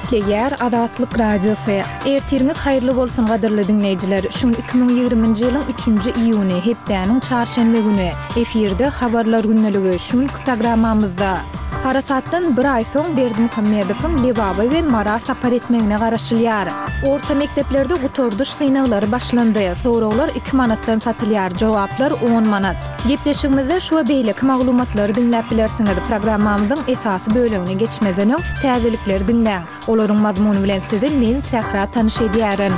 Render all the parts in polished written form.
Gepleýär Azatlyk Radiosy. Ertiriňiz haýyrly bolsun gadyrly diňleýjiler. Şu gün 2020-nji ýylyň üçünji iýuny, hepdäniň çarşenbe güni. Efirde Habarlar gündeligi. Şu günki programmamyzda. Harasatdan bir aý soň Berdimuhamedowyň Lebaba we Mara sapar etmegine garaşylýar. Orta mekdeplerde gutardyş synaglary başlandy. Soraglar iki manatdan satylýar, jogaplar on manat. Gepleşigimizde şu we beýleki maglumatlary diňläp bilersiňiz. Programmamyzyň esasy bölegine geçmezden öň, täzelikleri diňläň. Olaryň mazmuny bilen sizi men, Sähra tanyş edýärin.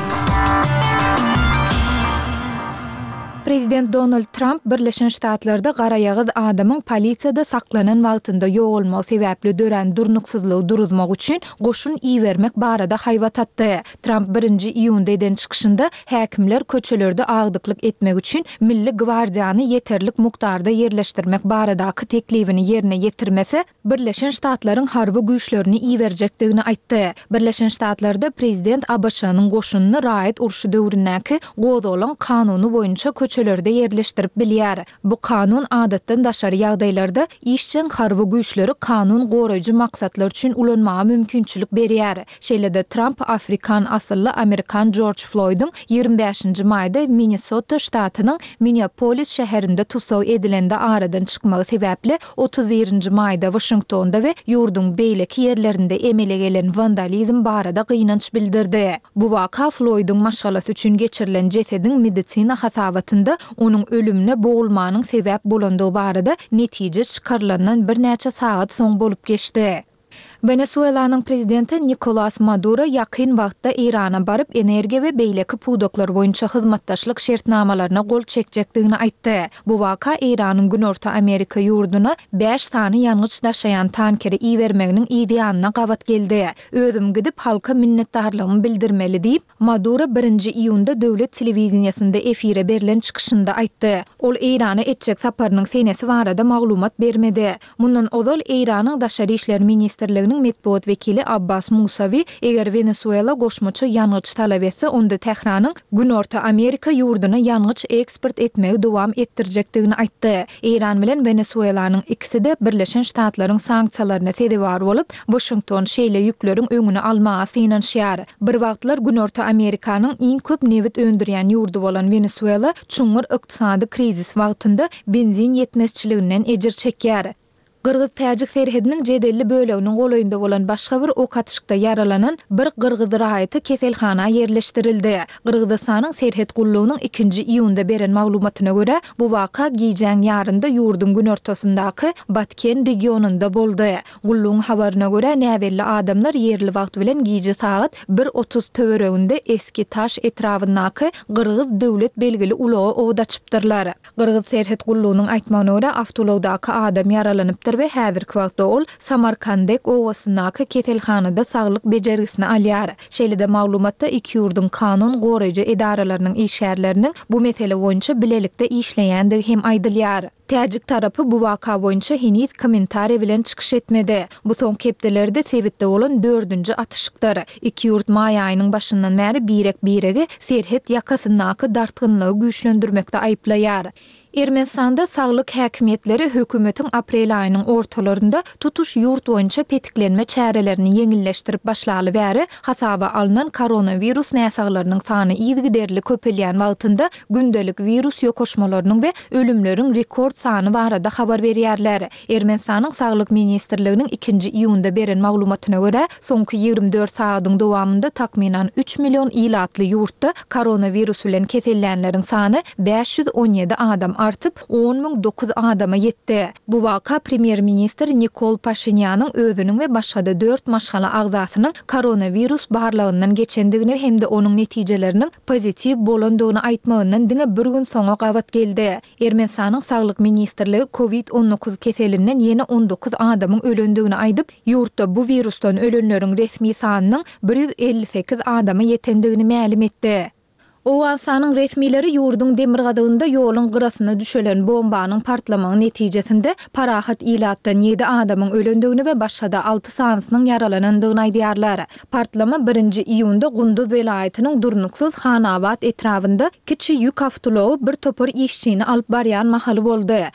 Prezident Donald Tramp Birleşen Ştatlarda garaýagyz adamyň polisiýada saklanan wagtynda ýogalmagy sebäpli dörän durnuksyzlygy duruzmak üçin goşun ibermek barada haýbat atdy. Tramp birinji iýunda eden çykyşynda häkimler köçelerde agdyklyk etmek üçin Milli gwardiýany ýeterlik mukdarda ýerleşdirmek baradaky teklibini ýerine ýetirmese, Birleşen Ştatlaryň harby güýçlerini iberjekdigini aýtdy. Birleşen Ştatlarda prezident ABŞ-nyň goşunyny raýat urşy döwründäki gozgalaň kanuny boýunça köçelerde ýerleşdirip bilýär. Bu kanun adatdan daşary ýagdaýlarda işjeň harby güýçleri kanun goraýjy maksatlar üçin ulanmaga mümkinçilik berýär. Şeýle-de Tramp afrikan asylly amerikan Jorj Floýdyň 25-nji maýda Minnesota ştatynyň Minneapolis şäherinde tussag edilende aradan çykmagy sebäpli 31-nji maýda Waşingtonda we ýurduň beýleki ýerlerinde emele gelen wandalizm barada gynanç bildirdi. Bu waka Floýdyň maşgalasy üçin geçirilen jesediň medisina hasabatynda onuň ölümine bogulmanyň sebäp bolandygy barada netije çykarylandan birnäçe sagat soň bolup geçdi. Wenesuelanyň prezidenti Nikolas Maduro ýakyn wagtda Eýrana baryp, energiýa we beýleki pudaklar boýunça hyzmatdaşlyk şertnamalaryna gol çekjekdigini aýtdy. Bu waka Eýranyň Günorta Amerika ýurduna bäş sany ýangyç daşaýan tankeri ibermeginiň yz ýanyna gabat geldi. Özüm gidip, halka minnetdarlygymy bildirmeli diýip, Maduro birinji iýunda döwlet telewideniýesinde efire berlen çykyşynda aýtdy. Ol Eýrana etjek saparynyň senesi barada maglumat bermedi. Mundan ozal, Eýranyň Daşary işler ministrliginiň metbugat wekili Abbas Musawi, eger Wenesuela goşmaça ýangyç talap etse, onda Tähranyň Günorta Amerika ýurduna ýangyç eksport etmegi dowam etdirjekdigini aýtdy. Eýran bilen Wenesuelanyň ikisi-de Birleşen Ştatlaryň sanksiýalaryna sezewar bolup, Waşington şeýle ýükleriň öňüni almaga synanyşýar. Bir wagtlar Günorta Amerikanyň iň köp nebit öndürýän ýurdy bolan Wenesuela çuňňur ykdysady krizis wagtynda benzin ýetmezçiliginden ejir çekýär. Gyrgyz-täjik serhediniň jedelli böleginiň golaýynda bolan başga bir ok atyşykda ýaralanan bir gyrgyz raýaty keselhana ýerleşdirildi. Gyrgyzystanyň serhet gullugynyň ikinji iýunda beren maglumatyna görä, bu waka gijäň ýarynda ýurduň günortasyndaky Batken regionynda boldy. Gullugyň habaryna görä, näbelli adamlar ýerli wagt bilen gije sagat bir 30 töwereginde Eski-Taş etrabyndaky gyrgyz döwlet belgili ulaga od açypdyrlar. Gyrgyz serhet gullugynyň aýtmagyna görä, awtoulagdaky adam ýaralanypdyr we häzirki wagtda ol Samarkandek obasyndaky keselhanada saglyk bejergisini alýar. Şeýle-de maglumatda iki ýurduň kanun goraýjy edaralarynyň işgärleriniň bu mesele boýunça bilelikde işleýändigi hem aýdylýar. Täjik tarapy bu waka boýunça heniz kommentariý bilen çykyş etmedi. Bu soňky hepdelerde sebitde bolan dördünji atyşykdyr. Iki ýurt maý aýynyň başyndan bäri birek-biregi serhet ýakasyndaky dartgynlygy güýçlendirmekde aýyplaýar. Ermenistanda saglyk häkimiýetleri hökümetiň aprel aýynyň ortalarynda tutuş ýurt boýunça petiklenme çärelerini ýeňilleşdirip başlaly bäri hasaba alnan koronawirus näsaglarynyň sany yzygiderli köpelýän wagtynda gündelik wirus ýokaşmalarynyň we ölümleriň rekord sany barada habar berýärler. Ermenistanyň Saglyk ministrliginiň ikinji iýunda beren maglumatyna görä, soňky 24 sagadyň dowamynda takmynan üç million ilatly ýurtda koronawirus bilen kesellänleriň sany 517 adam artyp, 10 009 adama ýetdi. Bu waka premýer-ministr Nikol Paşinýanyň özüniň we başga-da dört maşgala agzasynyň koronawirus barlagyndan geçendigini hem-de onuň netijeleriniň pozitiw bolandygyny aýtmagyndan diňe bir gün soňa gabat geldi. Ermenistanyň Saglyk ministrligi Covid 19 keselinden ýene 19 adamyň ölendigini aýdyp, ýurtda bu wirusdan ölenleriň resmi sanynyň 158 adama ýetendigini mälim etdi. Owganystanyň resmileri ýurduň demirgazygynda ýoluň gyrasyna düşelen bombanyň partlamagy netijesinde parahat ilatdan ýedi adamyň ölendigini we başga-da alty sanysynyň ýaralanandygyny aýdýarlar. Partlama birinji iýunda Gunduz welaýatynyň durnuksyz Hanabat etrabynda kiçi ýük awtoulagy bir topar işçini alyp barýan mahaly boldy.